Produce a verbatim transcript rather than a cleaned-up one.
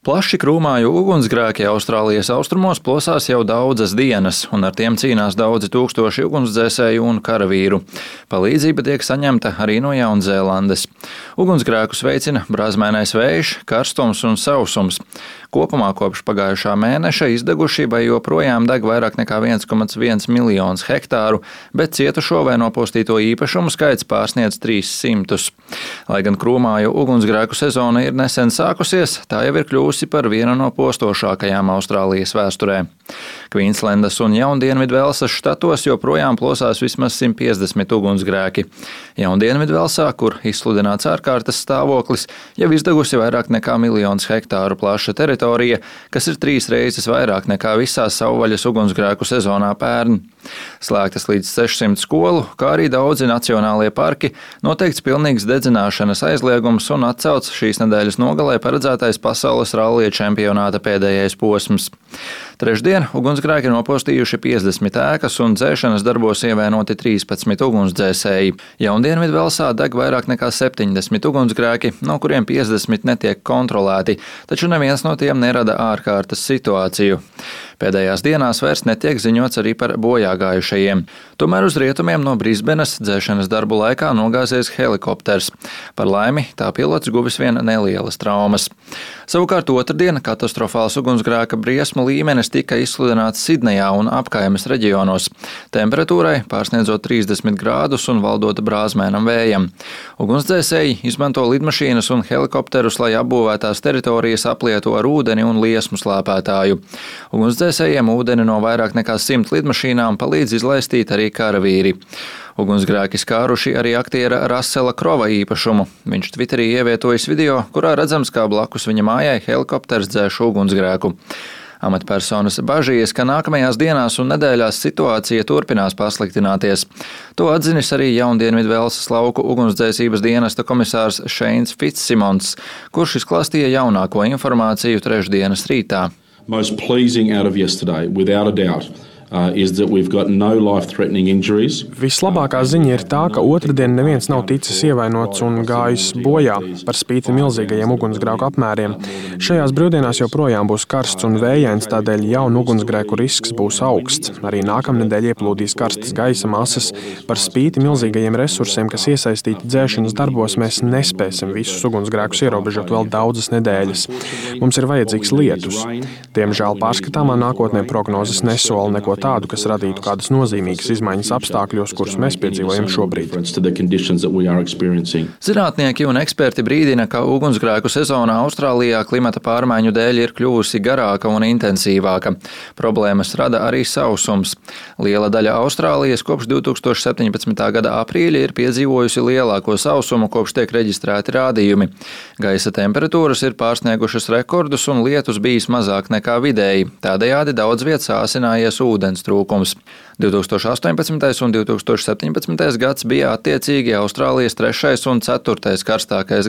Plaši krūmāju ugunsgrēki Austrālijas austrumos plosās jau daudzas dienas, un ar tiem cīnās daudzi tūkstoši ugunsdzēsēju un karavīru. Palīdzība tiek saņemta arī no Jaunzēlandes. Ugunsgrēkus veicina brāzmēnais vējš, karstums un sausums. Kopumā kopš pagājušā mēneša izdegušībai joprojām deg vairāk nekā viens komats viens miljonus hektāru, bet cietušo vai nopostīto īpašumu skaits pārsniedz trīs simtus. Lai gan krūmāju ugunsgrēku sezona ir nesen sākusies, tā jau ir kļūsi par vienu no postošākajām Austrālijas vēsturē. Kvīnslendas un Jaundienvidvelsas štatos joprojām plosās vismaz simt piecdesmit ugunsgrēki. Jaundienvidvelsā, kur izsludināts ārkārtas stāvoklis, jau izdegusi vairāk nekā miljonus hektāru plaša teritorija, kas ir trīs reizes vairāk nekā visā savvaļas ugunsgrēku sezonā pērn. Slēgtas līdz sešsimt skolu, kā arī daudzi nacionālie parki, noteikts pilnīgs dedzināšanas aizliegums un atcelts šīs nedēļas nogalē paredzētais pasaules rallija čempionāta pēdējais posms. Trešdien ugunsgrēki nopostījuši piecdesmit ēkas un dzēšanas darbos ievainoti trīspadsmit ugunsdzēsēji. Jaundienvidvelsā deg vairāk nekā septiņdesmit ugunsgrēki, no kuriem piecdesmit netiek kontrolēti, taču neviens no tiem nerada ārkārtas situāciju. Pēdējās dienās vairs netiek ziņots arī par bojāgājušajiem. Tomēr uz rietumiem no Brisbenas dzēšanas darbu laikā nogāzies helikopters. Par laimi tā pilots guvis vien nelielas traumas. Savukārt otrdien katastrofāls ugunsgrēka briesmu līmenis tika izsludināts Sidnejā un apkaimes reģionos. Temperatūrai pārsniedzot trīsdesmit grādus un valdot brāzmēnam vējam. Ugunsdzēsēji izmanto lidmašīnas un helikopterus, lai apbūvētās teritorijas aplietu ar ūdeni un liesmu slēpētāju. Ugunsdzēsējiem ūdeni no vairāk nekā simt lidmašīnām palīdz izlaistīt arī karavīri. Ugunsgrēki skāruši arī aktiera Rasela Krova īpašumu. Viņš Twitterī ievietojis video, kurā redzams, kā blakus viņa mājai helikopters dzēš ugunsgrēku. Amatpersonas bažījies, ka nākamajās dienās un nedēļās situācija turpinās pasliktināties. To atzinis arī Jaundienvidvelsas lauku ugunsdzēsības dienesta komisārs Šeins Fitzsimons, kurš izklāstīja jaunāko informāciju trešdienas rītā. Most pleasing out of yesterday, without a doubt, uh, is that we've got no life-threatening injuries. Vislabākā ziņa ir tā, ka otrdien neviens nav ticis ievainots un gājis bojā par spīti milzīgajiem ugunsgrēku apmēriem. Šajās brīvdienās joprojām būs karsts un vējains, tādēļ jaunu ugunsgrēku risks būs augsts. Arī nākamnedēļ ieplūdīs karstas gaisa masas. Par spīti milzīgajiem resursiem, kas iesaistīti dzēšanas darbos, mēs nespēsim visus ugunsgrēkus ierobežot vēl daudzas nedēļas. Mums ir vajadzīgs lietus. Diemžēl pārskatāmā nākotnē prognozes nesola neko tādu, kas radītu kādas nozīmīgas izmaiņas apstākļos, kurus mēs piedzīvojam šobrīd. Zinātnieki un eksperti brīdina, ka ugunsgrēku sezona Austrālijā klimata pārmaiņu dēļ ir kļuvusi garāka un intensīvāka. Problēmas rada arī sausums. Liela daļa Austrālijas kopš divi tūkstoši septiņpadsmitā gada aprīļa ir piedzīvojusi lielāko sausumu, kopš tiek reģistrēti rādījumi. Gaisa temperatūras ir pārsniegušas rekordus un lietus bijis mazāk nekā vidēji. Tādējādi daudz vietas āsinājies ūdens trūkums. divi tūkstoši astoņpadsmitais un divi tūkstoši septiņpadsmitais gads bija attiecīgi Austrālijas trešais un ceturtais karstākais